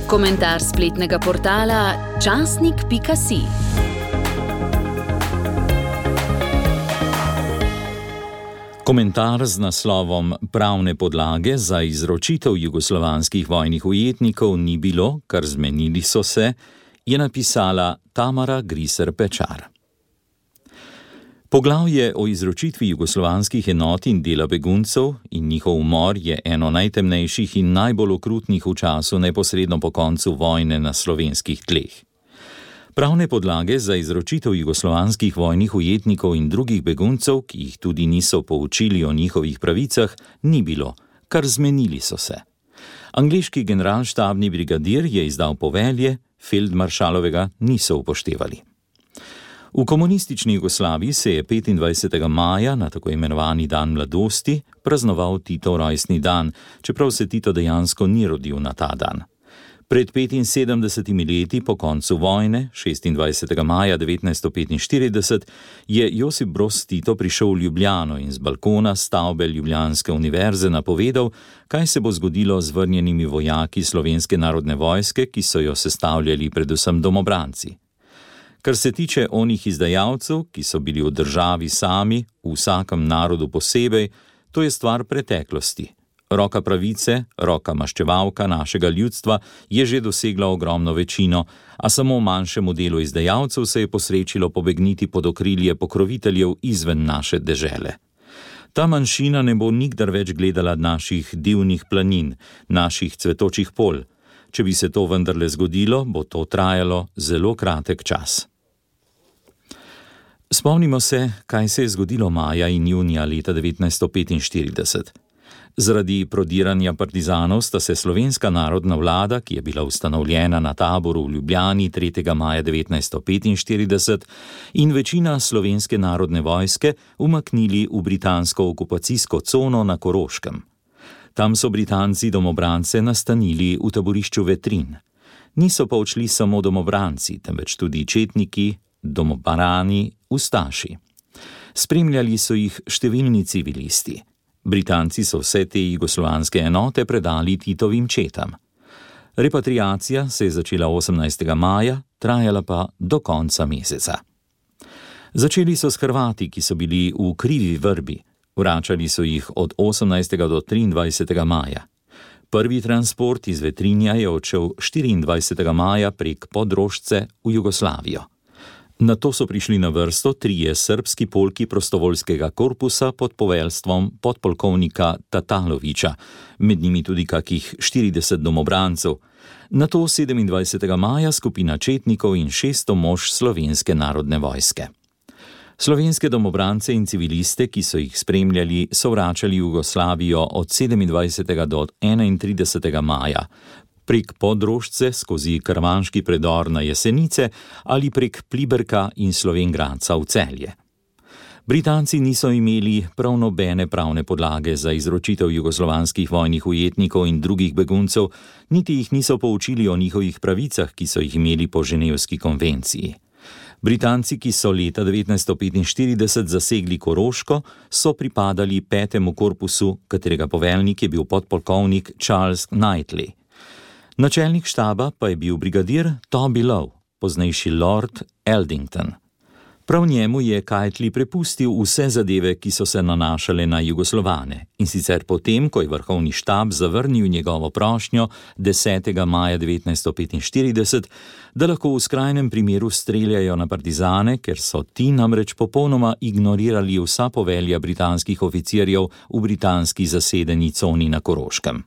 Komentar spletnega portala časnik.si. Komentar z naslovom Pravne podlage za izročitev jugoslovanskih vojnih ujetnikov ni bilo, kar zmenili so se, je napisala Tamara Griser Pečar. Poglavje o izročitvi jugoslovanskih enot in dela beguncev in njihov umor je eno najtemnejših in najbolj okrutnih v času neposredno po koncu vojne na slovenskih tleh. Pravne podlage za izročitev jugoslovanskih vojnih ujetnikov in drugih beguncev, ki jih tudi niso poučili o njihovih pravicah, ni bilo, kar zmenili so se. Angleški generalštabni brigadir je izdal povelje, feldmaršalovega niso upoštevali. V komunistični Jugoslaviji se je 25. maja, na tako imenovani dan mladosti, praznoval Titov rojstni dan, čeprav se Tito dejansko ni rodil na ta dan. Pred 75 leti po koncu vojne, 26. maja 1945, je Josip Broz Tito prišel v Ljubljano in z balkona stavbe Ljubljanske univerze napovedal, kaj se bo zgodilo z vrnjenimi vojaki Slovenske narodne vojske, ki so jo sestavljali predvsem domobranci. Kar se tiče onih izdajalcev, ki so bili v državi sami, v vsakem narodu posebej, to je stvar preteklosti. Roka pravice, roka maščevalka našega ljudstva je že dosegla ogromno večino, a samo manjšemu delu izdajalcev se je posrečilo pobegniti pod okrilje pokroviteljev izven naše dežele. Ta manjšina ne bo nikdar več gledala naših divnih planin, naših cvetočih polj. Če bi se to vendarle zgodilo, bo to trajalo zelo kratek čas. Spomnimo se, kaj se je zgodilo maja in junija leta 1945. Zaradi prodiranja partizanov sta se slovenska narodna vlada, ki je bila ustanovljena na taboru v Ljubljani 3. maja 1945, in večina Slovenske narodne vojske umaknili v britansko okupacijsko cono na Koroškem. Tam so Britanci domobrance nastanili v taborišču Vetrin. Niso pa odšli samo domobranci, temveč tudi četniki, domobarani, ustaši. Spremljali so jih številni civilisti. Britanci so vse te jugoslovanske enote predali Titovim četam. Repatriacija se je začela 18. maja, trajala pa do konca meseca. Začeli so s Hrvati, ki so bili v krivi vrbi. Vračali so jih od 18. do 23. maja. Prvi transport iz Vetrinja je odšel 24. maja prek Podrožce v Jugoslavijo. Nato so prišli na vrsto trije srbski polki prostovoljskega korpusa pod poveljstvom podpolkovnika Tatalovića, med njimi tudi kakih 40 domobrancev. Nato 27. maja skupina četnikov in 600 mož Slovenske narodne vojske. Slovenske domobrance in civiliste, ki so jih spremljali, so vračali v Jugoslavijo od 27. do 31. maja, prek Podrožce skozi Krvanški predor na Jesenice ali prek Pliberka in Slovengradca v Celje. Britanci niso imeli prav nobene pravne podlage za izročitev jugoslovanskih vojnih ujetnikov in drugih beguncev, niti jih niso poučili o njihovih pravicah, ki so jih imeli po Ženevski konvenciji. Britanci, ki so leta 1945 zasegli Koroško, so pripadali 5. korpusu, katerega poveljnik je bil podpolkovnik Charles Knightley. Načelnik štaba pa je bil brigadir Toby Lowe, poznejši Lord Eldington. Prav njemu je Knightley prepustil vse zadeve, ki so se nanašale na Jugoslovane, in sicer potem, ko je vrhovni štab zavrnil njegovo prošnjo 10. maja 1945, da lahko v skrajnem primeru streljajo na partizane, ker so ti namreč popolnoma ignorirali vsa povelja britanskih oficirjev v britanski zasedeni coni na Koroškem.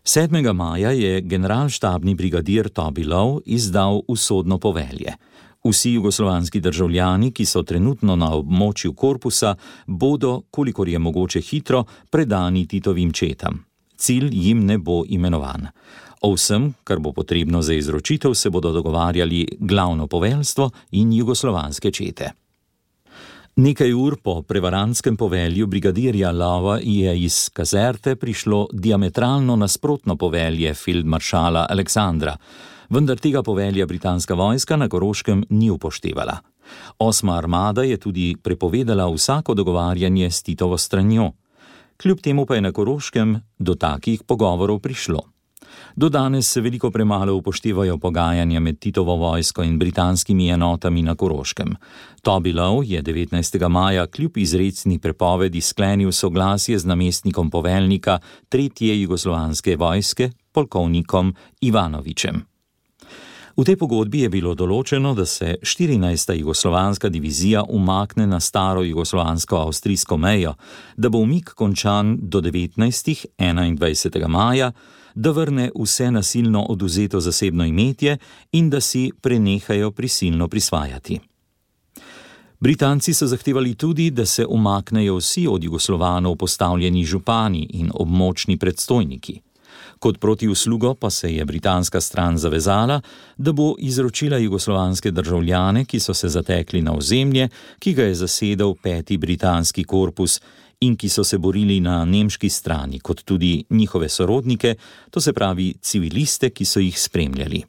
7. maja je generalštabni brigadir Toby Lowe izdal usodno povelje. Vsi jugoslovanski državljani, ki so trenutno na območju korpusa, bodo, kolikor je mogoče hitro, predani Titovim četam. Cilj jim ne bo imenovan. O vsem, kar bo potrebno za izročitev, se bodo dogovarjali glavno poveljstvo in jugoslovanske čete. Nekaj ur po prevarantskem povelju brigadirja Lova je iz kazerte prišlo diametralno nasprotno povelje feldmaršala Aleksandra, vendar tega povelja britanska vojska na Koroškem ni upoštevala. 8. armada je tudi prepovedala vsako dogovarjanje s Titovo stranjo. Kljub temu pa je na Koroškem do takih pogovorov prišlo. Do danes se veliko premalo upoštevajo pogajanja med Titovo vojsko in britanskimi enotami na Koroškem. Toby Lowe je 19. maja kljub izrecni prepovedi sklenil soglasje z namestnikom poveljnika 3. jugoslovanske vojske, polkovnikom Ivanovićem. V tej pogodbi je bilo določeno, da se 14. jugoslovanska divizija umakne na staro jugoslovansko-avstrijsko mejo, da bo umik končan do 21. maja, da vrne vse nasilno oduzeto zasebno imetje in da si prenehajo prisilno prisvajati. Britanci so zahtevali tudi, da se umaknejo vsi od Jugoslovanov postavljeni župani in območni predstojniki. Kot protiuslugo pa se je britanska stran zavezala, da bo izročila jugoslovanske državljane, ki so se zatekli na ozemlje, ki ga je zasedel 5. britanski korpus in ki so se borili na nemški strani, kot tudi njihove sorodnike, to se pravi civiliste, ki so jih spremljali.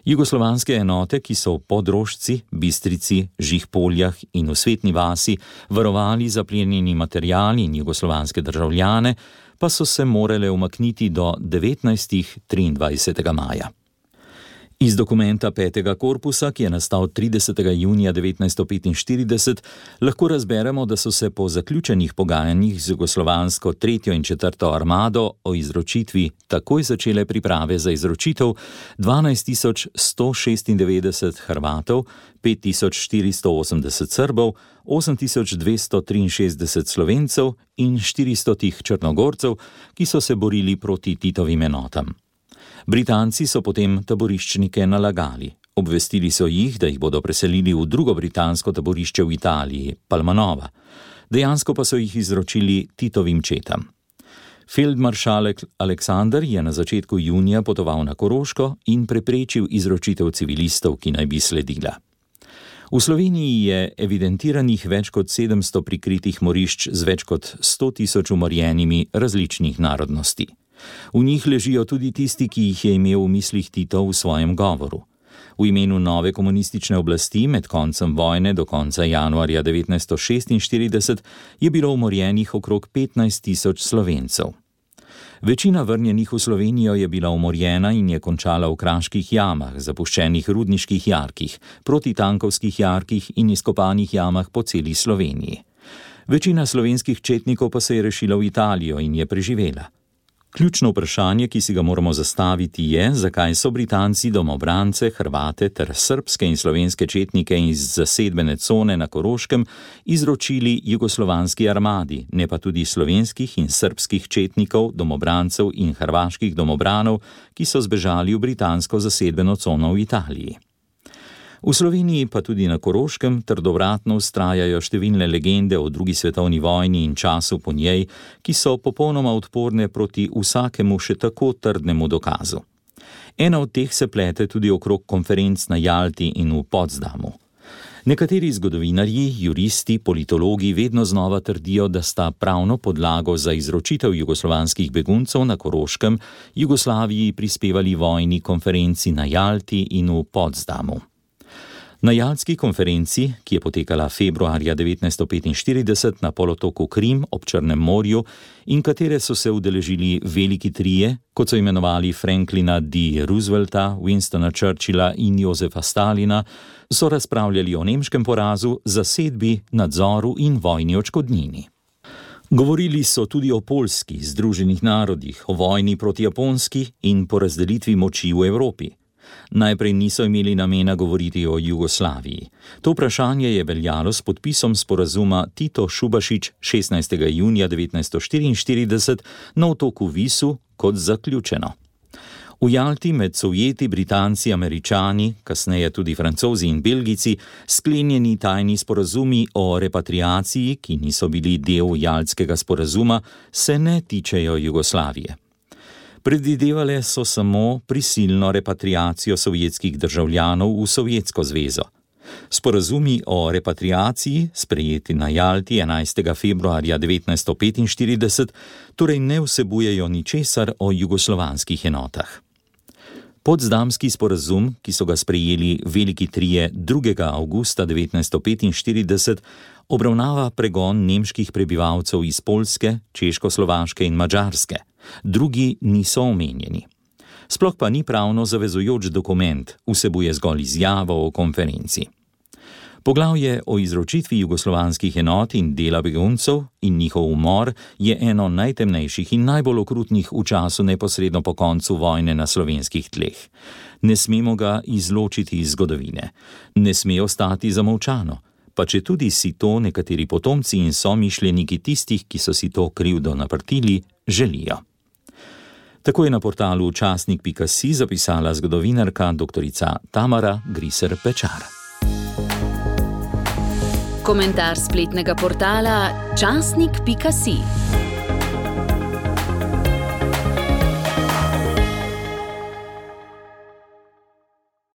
Jugoslovanske enote, ki so v Podrožci, Bistrici, Žihpoljah in v Svetni vasi varovali zaplenjeni material in jugoslovanske državljane, pa so se morale umakniti do 23. maja. Iz dokumenta 5. korpusa, ki je nastal 30. junija 1945, lahko razberemo, da so se po zaključenih pogajanjih z jugoslovansko 3. in 4. armado o izročitvi takoj začele priprave za izročitev 12.196 Hrvatov, 5.480 Srbov, 8.263 Slovencev in 400 Črnogorcev, ki so se borili proti Titovim enotam. Britanci so potem taboriščnike nalagali. Obvestili so jih, da jih bodo preselili v drugo britansko taborišče v Italiji, Palmanova. Dejansko pa so jih izročili Titovim četam. Feldmaršal Aleksander je na začetku junija potoval na Koroško in preprečil izročitev civilistov, ki naj bi sledila. V Sloveniji je evidentiranih več kot 700 prikritih morišč z več kot 100.000 umorjenimi različnih narodnosti. V njih ležijo tudi tisti, ki jih je imel v mislih Tito v svojem govoru. V imenu nove komunistične oblasti med koncem vojne do konca januarja 1946 je bilo umorjenih okrog 15.000 Slovencev. Večina vrnjenih v Slovenijo je bila umorjena in je končala v kraških jamah, zapuščenih rudniških jarkih, protitankovskih jarkih in izkopanih jamah po celi Sloveniji. Večina slovenskih četnikov pa se je rešila v Italijo in je preživela. Ključno vprašanje, ki si ga moramo zastaviti, je, zakaj so Britanci domobrance, Hrvate ter srbske in slovenske četnike iz zasedbene cone na Koroškem izročili jugoslovanski armadi, ne pa tudi slovenskih in srbskih četnikov, domobrancev in hrvaških domobranov, ki so zbežali v britansko zasedbeno cono v Italiji. V Sloveniji pa tudi na Koroškem trdovratno vztrajajo številne legende o drugi svetovni vojni in času po njej, ki so popolnoma odporne proti vsakemu še tako trdnemu dokazu. Ena od teh se plete tudi okrog konferenc na Jalti in v Potsdamu. Nekateri zgodovinarji, juristi, politologi vedno znova trdijo, da sta pravno podlago za izročitev jugoslovanskih beguncev na Koroškem Jugoslaviji prispevali vojni konferenci na Jalti in v Potsdamu. Na Jaltski konferenci, ki je potekala februarja 1945 na polotoku Krim ob Črnem morju in katere so se udeležili veliki trije, kot so imenovali Franklina D. Roosevelta, Winstona Churchilla in Josefa Stalina, so razpravljali o nemškem porazu, zasedbi, nadzoru in vojni odškodnini. Govorili so tudi o Poljski, Združenih narodih, o vojni proti Japonski in porazdelitvi moči v Evropi. Najprej niso imeli namena govoriti o Jugoslaviji. To vprašanje je veljalo s podpisom sporazuma Tito-Šubašić 16. junija 1944 na otoku Visu kot zaključeno. V Jalti med Sovjeti, Britanci, Američani, kasneje tudi Francozi in Belgijci, sklenjeni tajni sporazumi o repatriaciji, ki niso bili del Jaltskega sporazuma, se ne tičejo Jugoslavije. Predvidevale so samo prisilno repatriacijo sovjetskih državljanov v Sovjetsko zvezo. Sporazumi o repatriaciji, sprejeti na Jalti 11. februarja 1945, torej ne vsebujejo ničesar o jugoslovanskih enotah. Potsdamski sporazum, ki so ga sprejeli veliki trije 2. avgusta 1945, obravnava pregon nemških prebivalcev iz Poljske, Češkoslovaške in Madžarske. Drugi niso omenjeni. Sploh pa ni pravno zavezujoč dokument, vsebuje zgolj izjavo o konferenci. Poglavje o izročitvi jugoslovanskih enot in dela beguncev in njihov umor je eno najtemnejših in najbolj okrutnih v času neposredno po koncu vojne na slovenskih tleh. Ne smemo ga izločiti iz zgodovine. Ne sme ostati zamolčano, pa četudi si to nekateri potomci in somišljeniki tistih, ki so si to krivdo naprtili, želijo. Tako je na portalu časnik.si zapisala zgodovinarka dr. Tamara Griser-Pečar. Komentar spletnega portala časnik.si.